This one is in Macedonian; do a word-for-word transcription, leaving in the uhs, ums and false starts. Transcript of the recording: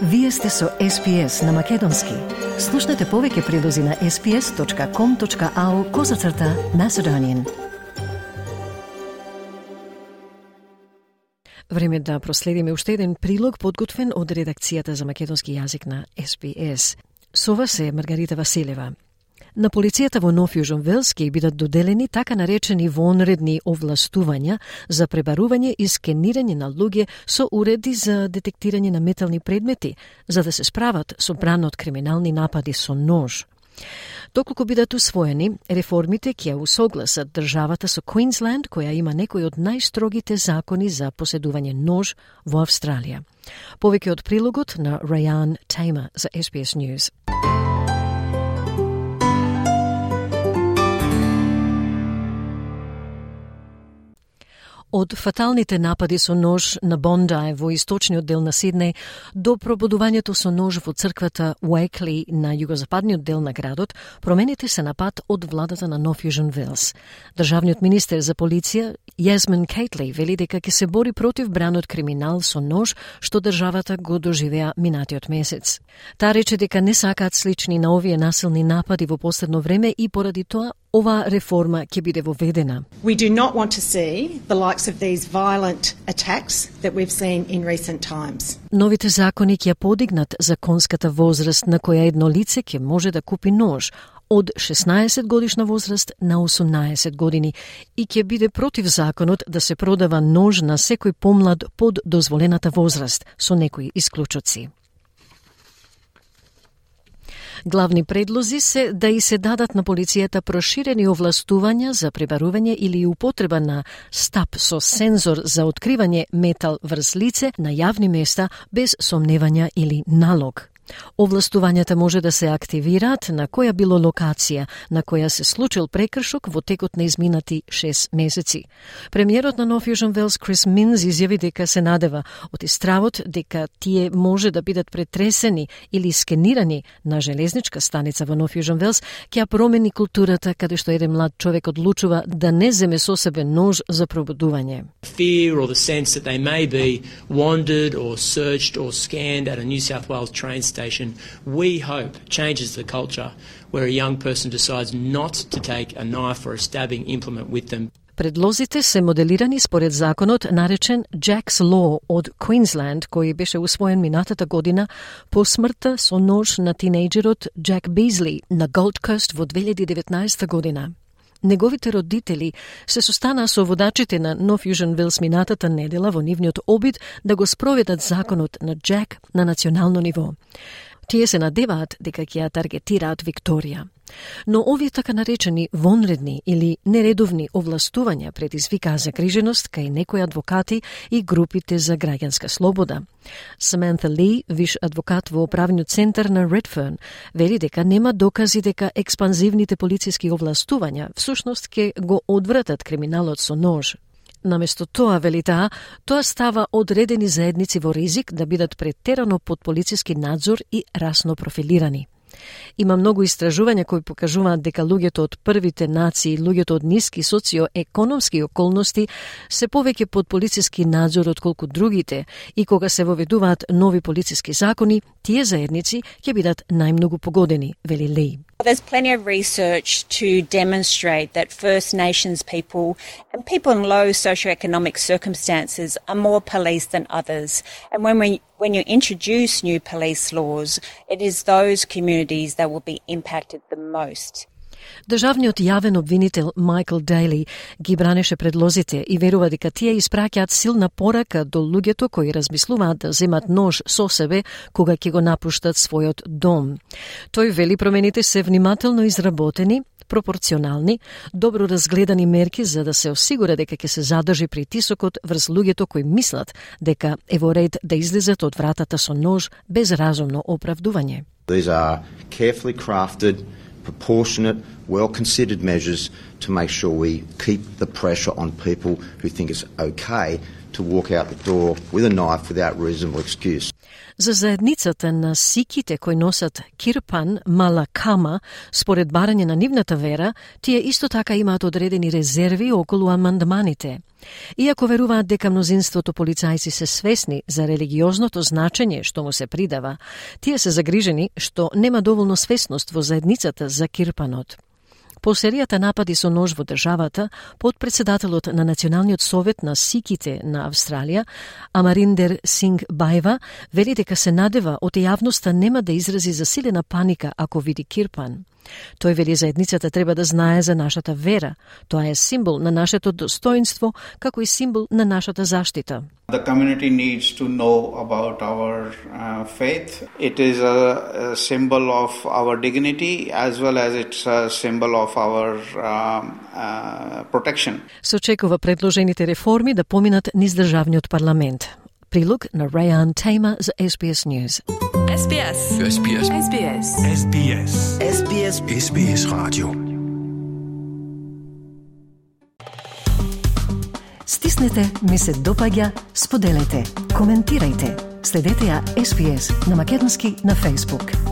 Вие сте со Ес Пи Ес на Македонски. Слушнете повеќе прилози на ес пи ес точка ком точка ау козацрта Macedonian. Време да проследиме уште еден прилог подготвен од редакцијата за македонски јазик на Ес Пи Ес. Со вас е Маргарита Василева. На полицијата во Нов Јужен Велс ќе бидат доделени така наречени вонредни овластувања за пребарување и скенирање на луѓе со уреди за детектирање на метални предмети, за да се справат со брана од криминални напади со нож. Доколку бидат усвоени, реформите ќе усогласат државата со Квинсленд, која има некои од најстрогите закони за поседување нож во Австралија. Повеќе од прилогот на Раян Тейма за Ес Пи Ес News. Од фаталните напади со нож на Бондај во источниот дел на Сиднеј до пробудувањето со нож во црквата Уейкли на југозападниот дел на градот, промените се на пат од владата на Нов Јужен Велс. Државниот министер за полиција Јазмин Кейтли вели дека ќе се бори против бранот криминал со нож што државата го доживеа минатиот месец. Таа рече дека не сакаат слични на овие насилни напади во последно време и поради тоа оваа реформа ќе биде воведена. We do not want to see the likes of these violent attacks that we've seen in recent times. Новите закони ќе подигнат законската возраст на која едно лице ќе може да купи нож од шеснаесет годишна возраст на осумнаесет години и ќе биде против законот да се продава нож на секој помлад под дозволената возраст, со некои исклучоци. Главни предлози се да и се дадат на полицијата проширени овластувања за пребарување или употреба на стап со сензор за откривање метал врз лице на јавни места без сомневања или налог. Овластувањата може да се активираат на која било локација на која се случил прекршок во текот на изминати шест месеци. Премиерот на Нов Јужен Велс Крис Минс изјави дека се надева од истравот дека тие може да бидат претресени или скенирани на железничка станица во Нов Јужен Велс, ќе промени културата каде што еден млад човек одлучува да не земе со себе нож за пробудување. Fear or the sense that they may be wandered or searched or scanned at a New South Wales train station station, we hope changes the culture where a young person decides not to take a knife or a stabbing implement with them. Предлозите се моделирани според законот наречен Jack's Law од Квинсленд, кој беше усвоен минатата година по смртта со нож на тинејџерот Джек Бизли на Голд Кост во две илјади и деветнаесета година. Неговите родители се состанаа со водачите на Нов Јужен Велс минатата недела во нивниот обид да го спроведат законот на Джек на национално ниво. Тие се надеваат дека ќе ја таргетираат Викторија. Но овие така наречени вонредни или нередовни овластувања предизвикаа загриженост кај некои адвокати и групите за граѓанска слобода. Саманта Ли, виш адвокат во управниот центар на Редферн, вели дека нема докази дека експанзивните полициски овластувања всушност ќе го одвратат криминалот со нож. Наместо тоа, вели таа, тоа става одредени заедници во ризик да бидат претерано под полициски надзор и расно профилирани. Има многу истражувања кои покажуваат дека луѓето од првите нации, луѓето од ниски социоекономски околности се повеќе под полициски надзор отколку другите и кога се воведуваат нови полициски закони, тие заедници ќе бидат најмногу погодени, вели Ли. There's plenty of research to demonstrate that First Nations people and people in low socioeconomic circumstances are more policed than others. And when we, when you introduce new police laws, it is those communities that will be impacted the most. Државниот јавен обвинител Майкл Дејли ги бранеше предлозите и верува дека тие испраќаат силна порака до луѓето кои размислуваат да земат нож со себе кога ќе го напуштат својот дом. Тој вели промените се внимателно изработени, пропорционални, добро разгледани мерки за да се осигура дека ќе се задржи притисокот врз луѓето кои мислат дека е во ред да излезат од вратата со нож без разумно оправдување. These are carefully crafted, proportionate, well-considered measures to make sure we keep the pressure on people who think it's okay to walk out the door with a knife without reasonable excuse. За заедницата на сиките кои носат кирпан малакама, според барање на нивната вера, тие исто така имаат одредени резерви околу амандманите. Иако веруваат дека мнозинството полицајци се свесни за религиозното значење што му се придава, тие се загрижени што нема доволно свесност во заедницата за кирпанот. По серијата напади со нож во државата, подпредседателот на Националниот совет на сиките на Австралија, Амариндер Синг Баева, вели дека се надева од јавноста нема да изрази засилена паника ако види кирпан. Тој вели заедницата треба да знае за нашата вера. Тоа е символ на нашето достоинство, како и символ на нашата заштита. The community needs to know about our uh, faith. It is a, a symbol of our dignity as well as it's a symbol of our uh, uh, protection. Се очекува предложените реформи да поминат низ државниот парламент. Прилог на Раян Тейма за Ес Би Ес News. Ес Би Ес. Ес Би Ес. Ес Би Ес. Ес Би Ес. Ес Би Ес. Ес Би Ес Radio. Стиснете, ми се допаѓа, споделете, коментирајте. Следете ја Ес Би Ес на македонски на Facebook.